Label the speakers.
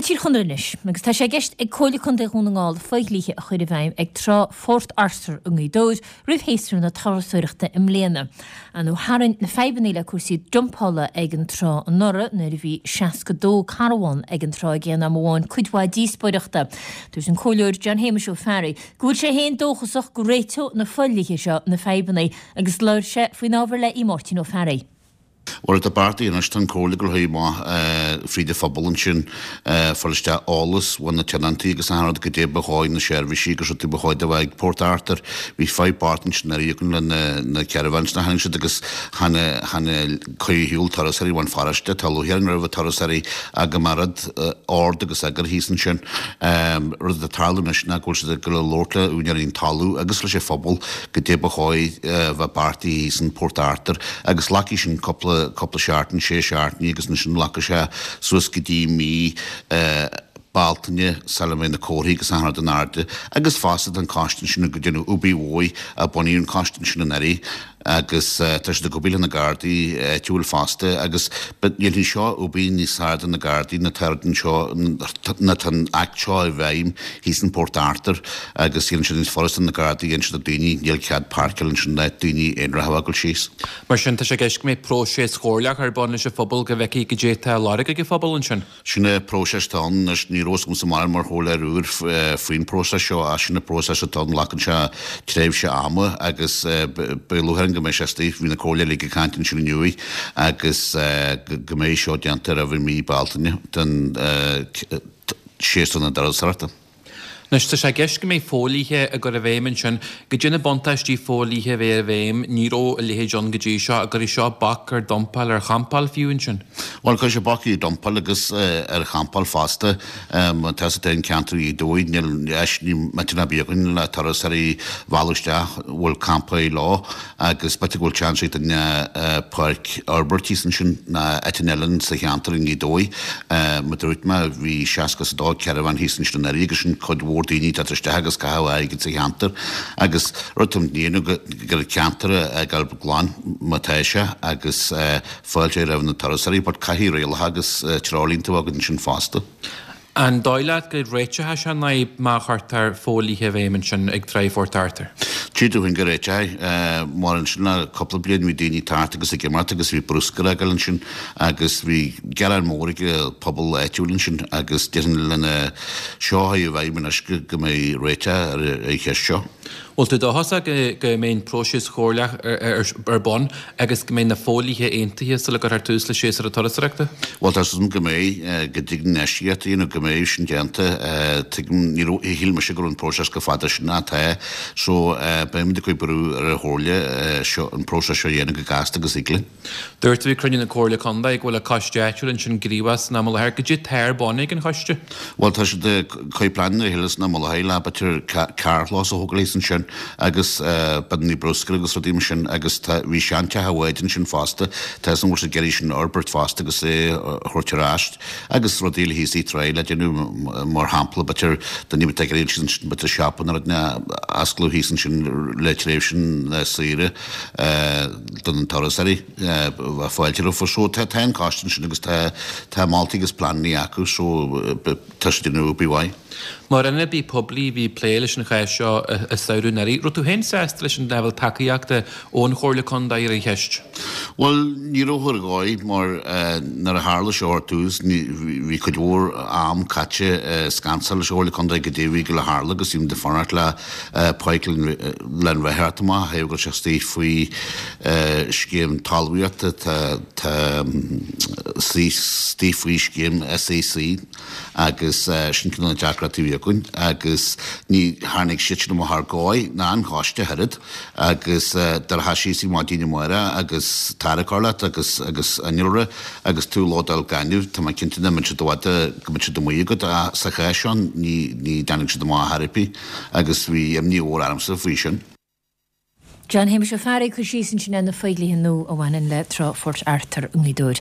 Speaker 1: Go Tír Chonaill anois, agus tá sé i gceist ag Comhairle Contae Dhún na nGall fodhlíthe a chur i bhfeidhm ag trá Phort Arthur i nGaoth Dobhair roimh shéasúr na turasóireachta i mbliana. Nó tharraing na fadhbanna le cúrsaí dumpála ag an trá anuraidh nuair a bhí 62 carbhán ag an trá ag aon am amháin cuid mhaith díospóireachta. Dúirt an Comhairleoir John Shéamuis Ó Fearraigh go bhfuil sé féin dóchasach go réiteoidh na fodhlíthe seo na fadhbanna agus labhair sé faoin ábhar le Máirtín Ó Fearraigh.
Speaker 2: Bhuel, tá beartaithe anois, tá an Comhairle ag gabháil amach fríd an phobal ansin, fáil isteach eolas ó na tionóntaí agus achan rud goidé ba dhóigh na seirbhísí agus rudaí ba chóir do bheith ag Port Arthur. Bhí fadhb bocht ansin anuraidh againn le na caravans nach tháinig siad agus chan chan cur ar shiúl turasóirí ón pharóiste. Tá lúcháir orainn roimh turasóirí ach go mbeadh rud ord agus eagar thíos ansin. Rud atá ag tarlú anois ná go bhfuil siad ag gabháil a labhairt le úinéirí an talamh agus leis an phobal goidé ba chóir bheith beartaithe thíos in Port Arthur. Agus glacfaidh sin cúpla, cúpla seachtain, sé seachtainí agus ansin glacfaidh sé suas go dtí mí Bealtaine sula mbeidh na comharthaí agus achan rud in airde. Agus fosta tá an coiste ansin ag déanamh obair mhór, a bunaíodh an coiste ansin anuraidh agus tá siad ag obair le na Gardaí áitiúil fosta agus but dhéanfaidh seo obair níos fearr do na Gardaí ná tá anseo, ná tá an Act seo i bhfeidhm thíos in Port Arthur. Agus déanann sé níos furasta do na Gardaí inse do daoine, níl cead páirceáil ansin le daoine aonaracha a fhágáil síos.
Speaker 3: Mar sin, tá sé i gceist go mbeidh próiseas chomhairleach ar bun leis an phobal go bhfeicfí goidé atá á lorg ag an phobal ansin.
Speaker 2: Sin é próiseas atá ann anois. Ní raibh fhios agamsa mórán mar chomhairleoir úr faoin próiseas seo ach sin an próiseas atá ann. Glacann sé tréimhse ama agus beidh lúcháir orainn go mbeidh sé istigh. Bhí na comhairleoirí uilig ag caint ansin inniu agus go mbeidh seo déanta roimh mí Bealtaine don séasúr na turasóireachta.
Speaker 3: Anois, tá sé i gceist go mbeidh fodhlíthe á gcur i bhfeidhm ansin. Goidé na buntáistí fodhlíthe a bheidh i bhfeidhm? Ní raibh a leithéid ann go dtí seo. An gcuirfidh seo bac ar dumpáil, ar champáil fiú ansin?
Speaker 2: Bhuel, cuirfidh sé bac ar dumpáil agus ar champáil fosta. Tá sa an ceantar Ghaoth Dobhair, níl deis, ní miotal ar bith againn le turasóirí a mhealladh isteach a bhfuil campáil leo. Agus b'fhéidir go bhfuil seans ag duine páirc a fhorbairt thíos ansin ná áiteanna eile sa cheantar i nGaoth Dobhair. Mar a dúirt mé, bhí 62 caravan thíos ansin anuraidh agus sin cuid mhór daoine ag teacht isteach agus caitheamh airgid sa cheantar. Agus rud atá muid ag déanamh gur an ceantar a fhágáil glan má tá sé agus fáilte roimh na turasóirí but caithfidh rialacha agus treoirlínte a bheith againn ansin fosta.
Speaker 3: An dóigh leat go réiteoidh sé an fhadhb má chuirtear fodhlíthe i bhfeidhm ansin ag Tráigh Phort Arthur?
Speaker 2: Tchí tú féin go réiteoidh. Mar ansin le cúpla bliain bhí daoine ag teacht agus ag imeacht agus bhí bruscar ag gabháil ansin agus bhí gearán mór ag an pobal áitiúil ansin agus déarfainn lena seo a chur i bhfeidhm anois go mbeidh réiteach ar an cheist seo.
Speaker 3: Bhfuil tú dóchasach go mbeidh an próiseas chomhairleach ar bun agus go mbeidh na fodhlíthe aontaithe sula gcuirfear tús le séasúr na turasóireachta?
Speaker 2: Bhuel, tá súil agam go mbeidh, go dtig an infheistíocht a dhéanamh, go mbeidh sin déanta. Tuigim, ní raibh, shíl mise go raibh an próiseas chomh fada sin ach tá. So, beimid ag cur brú ar an Chomhairle seo, an próiseas seo a dhéanamh go gasta agus thig linn.
Speaker 3: Dúirt tú ag cruinniú na Comhairle Contae go bhfuil an coiste áitiúil ansin gníomhach san am i láthair. Goidé tá ar bun ag an choiste?
Speaker 2: Bhuel tá siad ag cur pleananna le chéile san am i láthair le b'fhéidir carrchlós a thógáil thíos ansin agus binní bruscair agus rudaí mar sin agus tá bhí seanteach an bháid ansin fosta tá fhios agam go bhfuil siad ag iarraidh sin a fhorbairt fosta agus é a thabhairt ar ais agus rudaí eile thíos ag Tráigh le déanamh mar shampla b'fhéidir duine atá ag iarraidh thíos ansin b'fhéidir siopa nó rud a osclú thíos ansin le tréimhse na saoire do na turasóirí bheadh fáilte rompu. So tá an coiste ansin agus tá tá moltaí agus pleananna acu so tá siad ag déanamh obair mhaith.
Speaker 3: Mar ionadaí poiblí a bhí ag plé leis an chás seo i samhradh anuraidh, raibh tú féin sásta leis an leibhéal tacaíochta ón Chomhairle Contae ar an cheist?
Speaker 2: Bhuel, ní raibh ar dhóigh mar nuair a tharla seo ar tús bhí cuid mhór am caite ag scansáil leis an Chomhairle Contae goidé a bhí ag gabháil a tharlú agus bhí muid ag fanacht le páirc le an bheith amach thaobh go bhfuil sé istigh faoi scéim talmhaíochta tá tá istigh faoi scéim SAC agus sin cineál na deacrachtaí a bhí againn agus ní tháinig siad sin amach ar dhóigh ná an choiste ach oiread agus do rachfá síos ar maidin amárach agus tarrac leat agus agus innealra Agus tú ag lódáil gainimh, tá mé cinnte nach mbeidh siad i bhfad, go mbeidh siad amuigh agat, ach sa chás seo ní, ní dtáinig siad amach ar chor ar bith agus bhí imní mhór ormsa faoi sin.
Speaker 1: John Shéamuis Ó Fearraigh ag cur síos ansin ar na fodhlíthe nua a bhaineann le Trá Phort Arthur i nGaoth Dobhair.